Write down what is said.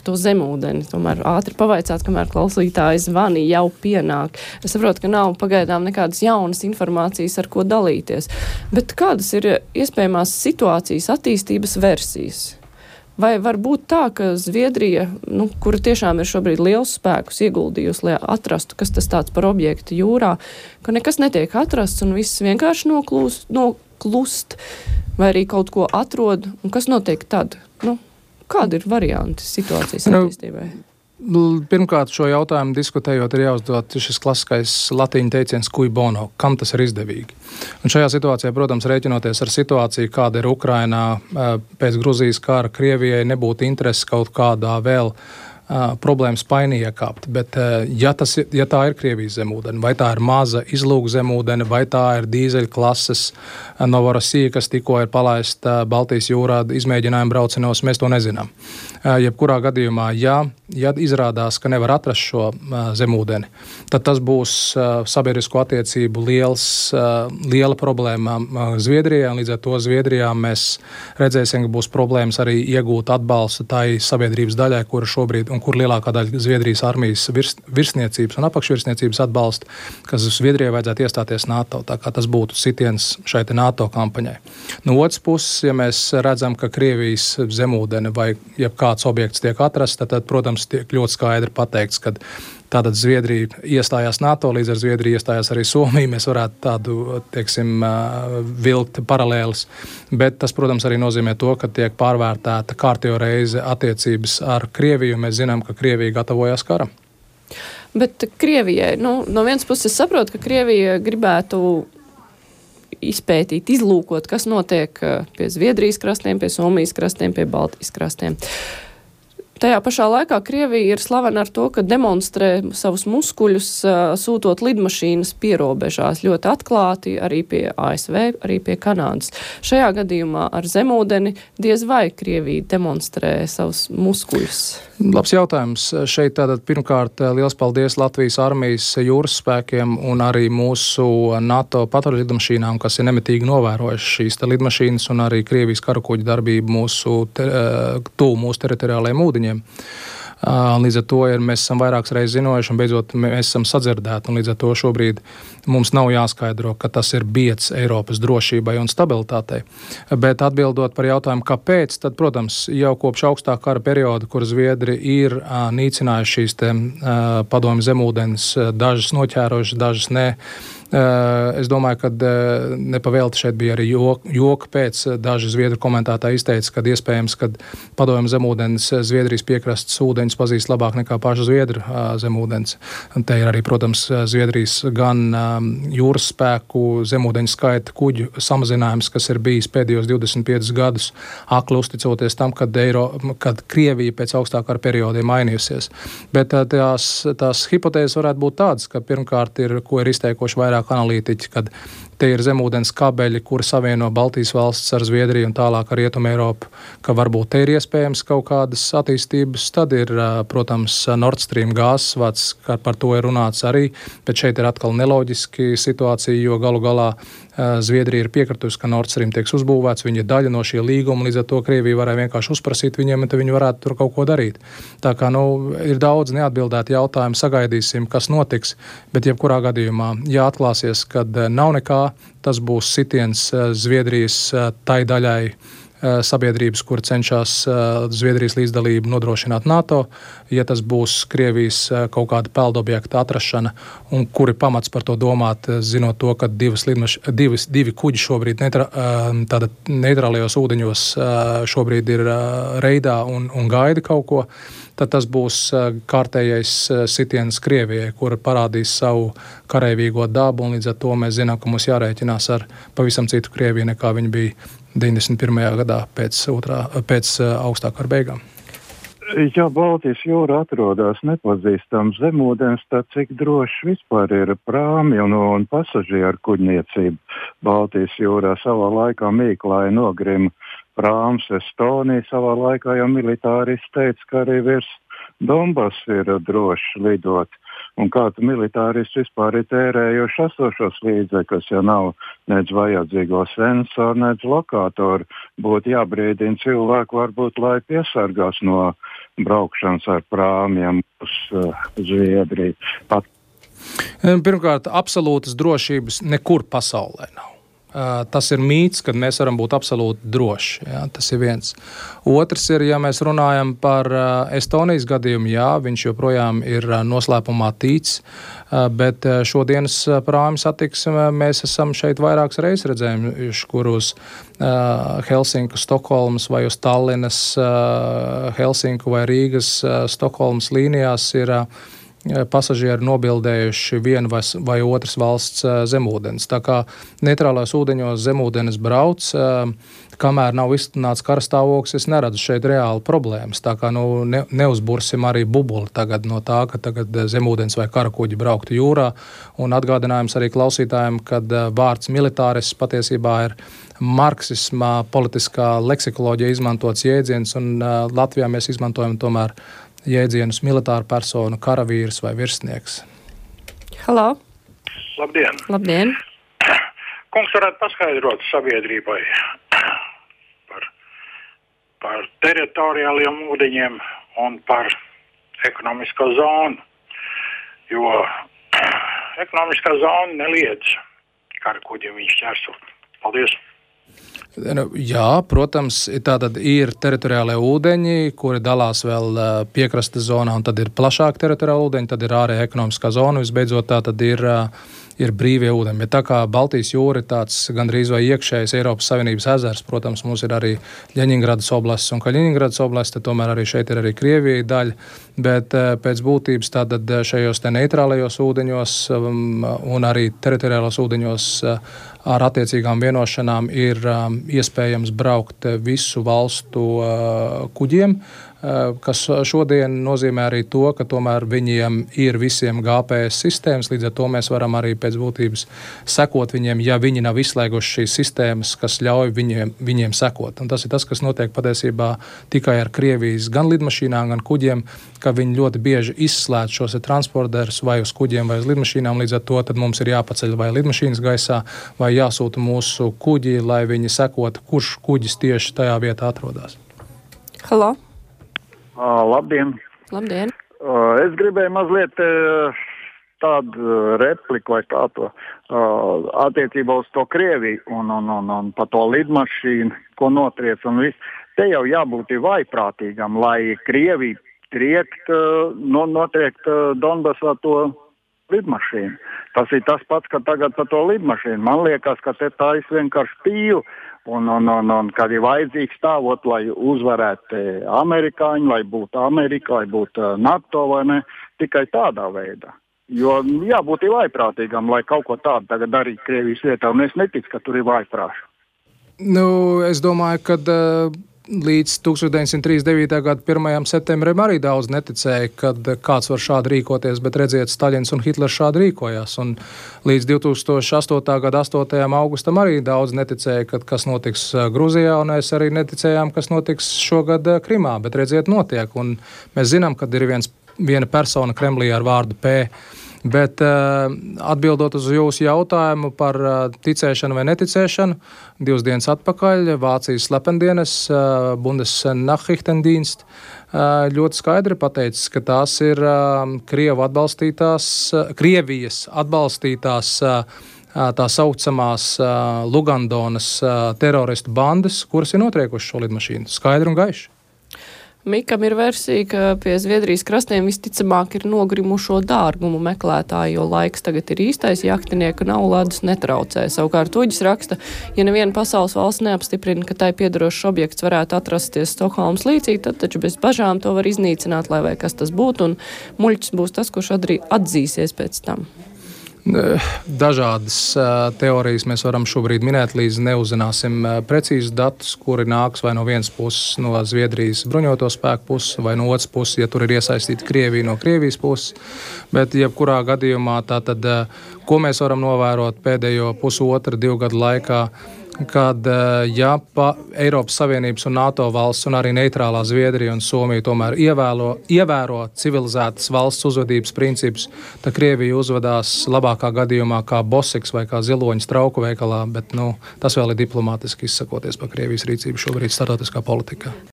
par to zemūdeni. Tomēr ātri pavaicāt, kamēr klausītāji zvani jau pienāk. Es saprotu, ka nav pagaidām nekādas jaunas informācijas, ar ko dalīties. Bet kādas ir iespējamās situācijas attīstības versijas? Vai var būt tā, ka Zviedrija, kura tiešām ir šobrīd liels spēkus ieguldījusi, lai atrastu, kas tas tāds par objektu jūrā, ka nekas netiek atrasts un viss vienkārši noklust, vai arī kaut ko atrod, un kas notiek tad? Kāda ir varianti situācijas attīstībai? Pirmkārt, šo jautājumu diskutējot, ir jāuzdod šis klasiskais latīņu teiciens cui bono, kam tas ir izdevīgi. Un šajā situācijā, protams, rēķinoties ar situāciju, kāda ir Ukrainā pēc Gruzijas kara, Krievijai nebūtu interesi kaut kādā vēl problēmas painī iekāpt, bet ja tā ir Krievijas zemūdene, vai tā ir maza izlūka zemūdene, vai tā ir dīzeļa klases Novorosija, kas tikko ir palaista Baltijas jūrā izmēģinājuma braucinos, mēs to nezinām. Jebkurā gadījumā, ja izrādās, ka nevar atrast šo zemūdeni, tad tas būs sabiedrisko attiecību liela problēma Zviedrijā, un līdz ar to Zviedrijā mēs redzēsim, ka būs problēmas arī iegūt atbalstu tai sabiedrības daļai, kura šobrīd un kur lielākā daļa Zviedrijas armijas virsniecības un apakšvirsniecības atbalsta, kas Zviedrijai vajadzētu iestāties NATO, tā kā tas būtu sitiens šai NATO kampaņai. No otras puses, ja mēs redzam, ka Krievijas zemūdene vai jebkāds objekts tiek atrasts, tad, protams, tiek ļoti skaidri pateikts, ka tātad Zviedrija iestājās NATO, līdz ar Zviedriju iestājās arī Somija. Mēs varētu tādu, vilkt paralēlis. Bet tas, protams, arī nozīmē to, ka tiek pārvērtēta kārtējo reizi attiecības ar Krieviju. Mēs zinām, ka Krievija gatavojās karam. Bet Krievijai, no vienas puses saprotu, ka Krievija gribētu izpētīt, izlūkot, kas notiek pie Zviedrijas krastiem, pie Somijas krastiem, pie Baltijas krastiem. Tajā pašā laikā Krievija ir slavena ar to, ka demonstrē savus muskuļus, sūtot lidmašīnas pierobežās ļoti atklāti, arī pie ASV, arī pie Kanādas. Šajā gadījumā ar zemūdeni diez vai Krievija demonstrē savus muskuļus. Labs jautājums. Šeit tātad pirmkārt liels paldies Latvijas armijas jūras spēkiem un arī mūsu NATO patruļu lidmašīnām, kas ir nemitīgi novērojuši šīs lidmašīnas un arī Krievijas karakuģu darbību tuvu mūsu teritoriālajiem ūdeņiem. Līdz ar to mēs esam vairākas reizes zinojuši un beidzot mēs esam sadzirdēti. Un līdz ar to šobrīd mums nav jāskaidro, ka tas ir bieds Eiropas drošībai un stabilitātei. Bet atbildot par jautājumu, kāpēc, tad, protams, jau kopš augstā kara perioda, kur Zviedri ir nīcinājuši šīs padomju zemūdens, dažas noķērojuši, dažas ne. Es domāju, ka nepavēlti šeit bija arī joka pēc. Daži Zviedru komentētāji izteica, ka iespējams, ka padomju zemūdens Zviedrijas piekrastes ūdeņus pazīst labāk nekā pašu Zviedru zemūdens. Te ir arī, protams, Zviedrijas gan jūras spēku zemūdeņu skaita kuģu samazinājums, kas ir bijis pēdējos 25 gadus, akli uzticoties tam, kad Krievija pēc augstākā perioda ir mainījusies. Bet tās hipotēzes varētu būt tādas, ka pirmkārt ko ir izteikuši vairāk analītiķi, kad te ir zemūdens kabeļi, kuri savieno Baltijas valstis ar Zviedriju un tālāk ar Rietumu Eiropu, ka varbūt te ir iespējams kaut kādas attīstības. Tad ir, protams, Nord Stream gāzes vads, kā par to ir runāts arī, bet šeit ir atkal neloģiski situācija, jo galu galā Zviedrija ir piekritusi, ka Nord Stream tieks uzbūvēts, viņa ir daļa no šī līguma, līdz ar to Krievija varēja vienkārši uzprasīt viņiem, un viņi varētu tur kaut ko darīt. Tā kā, ir daudz neatbildēti jautājumi, sagaidīsim, kas notiks, bet jebkurā gadījumā, ja atklāsies, kad nav nekā, tas būs sitiens Zviedrijas tai daļai sabiedrības, kur cenšas Zviedrijas līdzdalību nodrošināt NATO, ja tas būs Krievijas kaut kāda peldobjekta atrašana, un kuri pamats par to domāt, zinot to, ka divi kuģi šobrīd neitrālajos ūdeņos šobrīd ir reidā un gaida kaut ko, tad tas būs kārtējais sitiens Krievijai, kura parādīs savu kareivīgo dabu, un līdz ar to mēs zinām, ka mums jārēķinās ar pavisam citu Krieviju, nekā viņa bija 91. gadā pēc augstā kara beigām. Ja Baltijas jūra atrodas nepazīstams zemūdens, tad cik droši vispār ir prāmi un pasažieru kuģniecība Baltijas jūrā? Savā laikā Mīklāja nogrima prāms Estonija, savā laikā jau militāristi teica, ka arī virs Donbass ir droši lidot. un kādu militāristi vispār ir tērējuši esošos līdzekļus, ja nav nedz vajadzīgo sensoru, nedz lokātoru. Būtu jābrīdina cilvēku varbūt, lai piesargās no braukšanas ar prāmjiem uz Zviedriju. Pirmkārt, absolūtas drošības nekur pasaulē nav. Tas ir mīts, kad mēs varam būt absolūti droši. Jā, tas ir viens. Otrs ir, ja mēs runājam par Estonijas gadījumu, jā, viņš joprojām ir noslēpumā tīts, bet šodienas prāmi satiksme mēs esam šeit vairākas reizes redzējuši, kur uz Helsinku, Stokholmas vai uz Tallinas, Helsinku vai Rīgas, Stokholmas līnijās ir pasažieri nobildējuši vienu vai otras valsts zemūdens. Tā kā neitrālās ūdeņos zemūdenes brauc, kamēr nav izsludināts karstāvoklis, es neredzu šeit reāli problēmas. Tā kā neuzbursim arī bubuli tagad no tā, ka tagad zemūdens vai karakuģi brauktu jūrā. Un atgādinājums arī klausītājiem, kad vārds militāris patiesībā ir marksismā, politiskā leksikoloģija izmantots jēdziens, un Latvijā mēs izmantojam tomēr jēdzienus militāra persona, karavīrs vai virsnieks. Halo! Labdien! Labdien! Kungs varētu paskaidrot sabiedrībai par teritoriāliem ūdeņiem un par ekonomisko zonu, jo ekonomiskā zona neliedz karakuģiem viņš ķersot. Paldies! Jā, protams, tātad ir teritoriālie ūdeņi, kuri dalās vēl piekrastes zonā, un tad ir plašāk teritoriāli ūdeņi, tad ir ārējā ekonomiskā zona, visbeidzot tā tad ir brīvie ūdeņi. Bet tā kā Baltijas jūra ir tāds gandrīz vai iekšējais Eiropas Savienības ezers, protams, mums ir arī Ļeņingradas oblasts un Kaļiņingradas oblasts, tad tomēr arī šeit ir arī Krievija daļa, bet pēc būtības tātad šajos te neitrālajos ūdeņos un arī teritoriālos ūdeņos ar attiecīgām vienošanām ir iespējams braukt visu valstu kuģiem, kas šodien nozīmē arī to, ka tomēr viņiem ir visiem GPS sistēmas, līdz ar to mēs varam arī pēc būtības sekot viņiem, ja viņi nav izslēguši šīs sistēmas, kas ļauj viņiem sekot. Un tas ir tas, kas notiek patiesībā tikai ar Krievijas gan lidmašīnām, gan kuģiem, ka viņi ļoti bieži izslēdz šos transporterus vai uz kuģiem vai uz lidmašīnām, līdz ar to tad mums ir jāpaceļ vai lidmašīnas gaisā, vai jāsūta mūsu kuģi, lai viņi sekotu, kurš kuģis tieši tajā vietā atrodas. Halo! Labdien! Labdien! Es gribēju mazliet tādu repliku vai tādu attiecībā uz to Krieviju un par to lidmašīnu, ko notriec un viss. Te jau jābūt vaiprātīgam, lai Krievija notriekt Donbasā to lidmašīnu. Tas ir tas pats, ka tagad par to lidmašīnu. Man liekas, ka te tā ir vienkārši pīle. Un kad ir vajadzīgs stāvot, lai uzvarētu amerikāņi, lai būtu Amerika, lai būtu NATO vai ne, tikai tādā veidā. Jo jābūt vaiprātīgam, lai kaut ko tādu tagad darītu Krievijas vietā, un es neticu, ka tur ir vaiprāši. Es domāju, ka līdz 1939. gada 1. septembrim arī daudz neticēja, kad kāds var šādi rīkoties, bet redziet, Staļins un Hitlers šādi rīkojās. Un līdz 2008. gada 8. augustam arī daudz neticēja, kad kas notiks Gruzijā, un mēs arī neticējām, kas notiks šogad Krimā, bet redziet, notiek. Un mēs zinām, kad ir viena persona Kremlī ar vārdu P. Bet atbildot uz jūsu jautājumu par ticēšanu vai neticēšanu, 2 dienas atpakaļ Vācijas slependienes Bundesnachrichtendienst ļoti skaidri pateicis, ka tās ir Krievijas atbalstītās tā saucamās Lugandonas teroristu bandas, kuras ir notriekuši šo lidmašīnu. Skaidri un gaiši. Mikam ir versija, ka pie Zviedrijas krastiem visticamāk ir nogrimušo dārgumu meklētāji, jo laiks tagad ir īstais, jaktinieka nav ledus netraucē. Savukārt Uģis raksta, ja neviena pasaules valsts neapstiprina, ka tai piedarošs objekts varētu atrasties Stokholmas līcī, tad taču bez bažām to var iznīcināt, lai vai kas tas būtu, un muļķis būs tas, kurš atzīsies pēc tam. Dažādas teorijas mēs varam šobrīd minēt, līdz neuzzināsim precīzus datus, kuri nāks vai no vienas puses no Zviedrijas bruņoto spēku puses, vai no otras puses, ja tur ir iesaistīta Krievija no Krievijas puses. Bet jebkurā gadījumā tātad, ko mēs varam novērot pēdējo 1,5–2 gadu laikā, kad ja Eiropas Savienības un NATO valsts un arī neitrālā Zviedrija un Somija tomēr ievēro civilizētas valsts uzvedības principus, tad Krievija uzvedās labākā gadījumā kā bosiks vai kā ziloņas trauku veikalā, bet tas vēl ir diplomātiski izsakoties par Krievijas rīcību šobrīd starptautiskā politikā.